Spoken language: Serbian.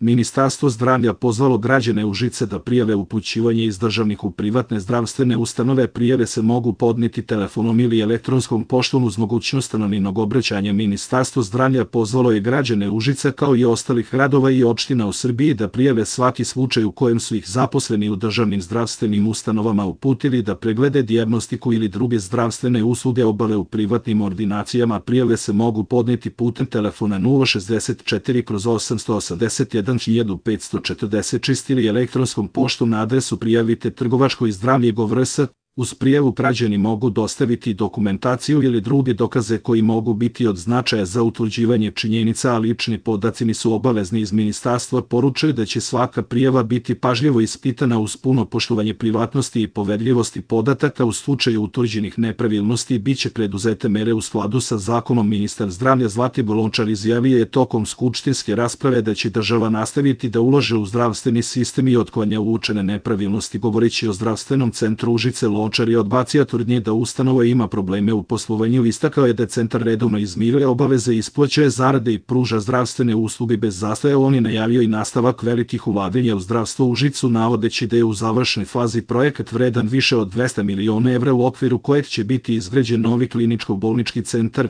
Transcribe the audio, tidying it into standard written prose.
Ministarstvo zdravlja pozvalo građane Užice da prijave upućivanje iz državnih u privatne zdravstvene ustanove. Prijave se mogu podneti telefonom ili elektronskom poštom uz mogućnost anonimnog obraćanja. Ministarstvo zdravlja pozvalo je građane Užice kao i ostalih gradova i opština u Srbiji da prijave svaki slučaj u kojem su ih zaposleni u državnim zdravstvenim ustanovama uputili da preglede dijagnostiku ili druge zdravstvene usluge obave u privatnim ordinacijama. Prijave se mogu podneti putem telefona 064/881 ili elektronskom poštom na adresu prijavite trgovačko i zdravlje.gov.rs. Uz prijavu građani mogu dostaviti dokumentaciju ili druge dokaze koji mogu biti od značaja za utvrđivanje činjenica, a lični podaci nisu obavezni. Iz ministarstva poručuju da će svaka prijava biti pažljivo ispitana uz puno poštovanje privatnosti i poverljivosti podataka. U slučaju utvrđenih nepravilnosti biće preduzete mere u skladu sa zakonom. Ministar zdravlja Zlatibor Lončar izjavio je tokom skupštinske rasprave da će država nastaviti da ulaže u zdravstveni sistem i otklanja uočene nepravilnosti. Govoreći o zdravstvenom centru Užice, Lončar je odbacio tvrdnje da ustanova ima probleme u poslovanju. Istakao je da centar redovno izmiruje obaveze, isplaćuje zarade i pruža zdravstvene usluge bez zastoja. On je najavio i nastavak velikih ulaganja u zdravstvo Užicu, navodeći da je u završnoj fazi projekat vredan više od 200 miliona evra u okviru kojeg će biti izgrađen novi kliničko-bolnički centar.